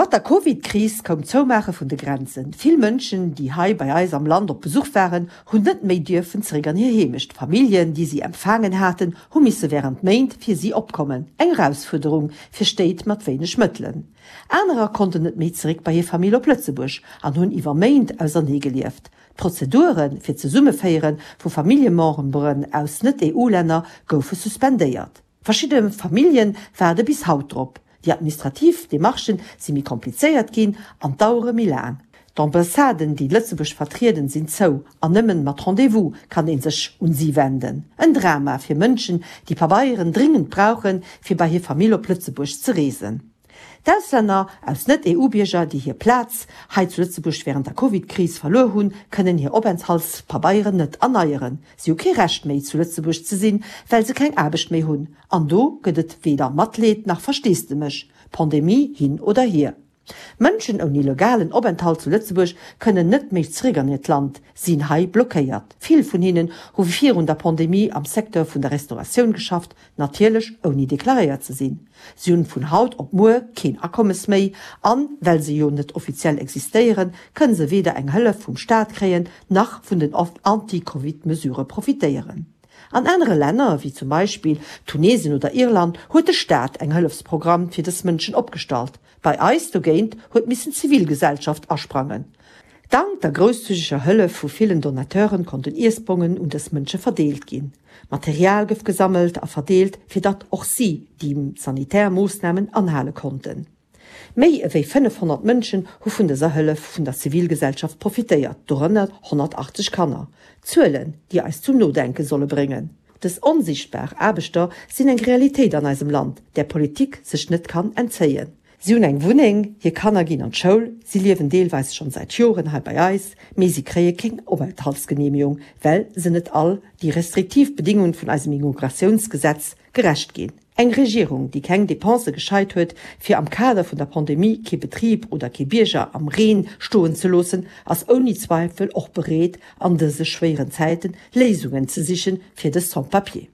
Mat der Covid-Kris koum d'Zoumaache vun de Grenzen. Vill Mënschen, déi hei bei eis am Land op Besuch waren, hunn net méi dierfen zeréck an hir Heemecht. Familljen, déi si empfaangen haten, hu misse wärend Méint fir si opkommen. Eng Erausfuerderung fir Stéit mat wéineg Mëttelen. Anerer konnten net méi zeréck bei hir Famill op Lëtzebuerg an hunn iwwer Méint ausernee gelieft. D'Prozedure fir d'Zesummeféiere vu Familljememberen aus Net-EU-Länner goufe suspendéiert. Verschidde Famillje waarde bis haut drop. Déi administrativ Demarchen si méi komplizéiert ginn an dauere méi laang. D'Ambassaden, déi Lëtzebuerg vertrieden, sinn zou an nëmmen mat Rendez-vous kann ee sech un si wenden. En Drama fir Mënschen, déi Pabeieren dringend brauchen, fir bei hir Famill op Lëtzebuerg ze reesen. D'Auslänner aus Net-EU-Bierger, déi hir Plaz hei zu Lëtzebuerg wärend der Covid-Kris verluer hunn, kënnen hir Openthaltspabeieren net erneieren. Si hu kee Recht méi zu Lëtzebuerg ze sinn, well se keng Aarbecht méi hunn. An do gëtt et weder Matleed nach Versteesdemech, Pandemie hin oder hier. Mënschen ouni legalen Openthalt zu Lëtzebuerg kënnen net méi zeréck an hiert Land, sinn hei blockéiert. Vill vun hinnen hu virun der Pandemie am Secteur vun der Restauratioun geschafft, natierlech ouni deklaréiert ze sinn. Si hunn vun haut op muer keen Akommes méi an, well se jo net offiziell existéieren, kënne se weder eng Hëllef vum Staat kréien, nach vun den Anti-Covid-Mesurë profitéieren. An anere Länner, wéi zum Beispill Tunesien oder Irland, huet de Staat eng Hëllefsprogramm fir dës Mënschen opgestallt. Bei eis dogéint huet missen d'Zivilgesellschaft asprangen. Dank der grousszügeger Hëllef vu villen Donateuren konnten Iessbongen un dës Mënsche verdeelt ginn. Material gouf gesammelt a verdeelt, fir datt och si déi sanitär Moossnamen anhale konnten. Méi ewéi 500 Mënschen hu vun dëser Hëllef vun der Zivilgesellschaft profitéiert, dorënner 180 Kanner. Zuelen, déi eis zum Nodenke solle bréngen. Dës onsichtbar Aarbechter sinn eng Realitéit an eisem Land, där Politik sech net kann entzéien. Si hunn eng Wunneng, hir Kanner ginn an d'Schoul, si liewen deelweis schonn säit Joren hei bei eis, mee si kréie keng Openthaltsgenehmigung, well se net all déi restriktiv Bedingunge vun eisem Immigratiounsgesetz gerecht ginn. Eng Regierung, déi keng Depensë gescheit huet, fir am Kader vun der Pandemie kee Betrib oder kee Bierger am Reen stoen ze loossen, ass ouni Zweifel och bereet, an dëse schwéieren Zäiten Léisungen ze sichen fir des Sans-papiers.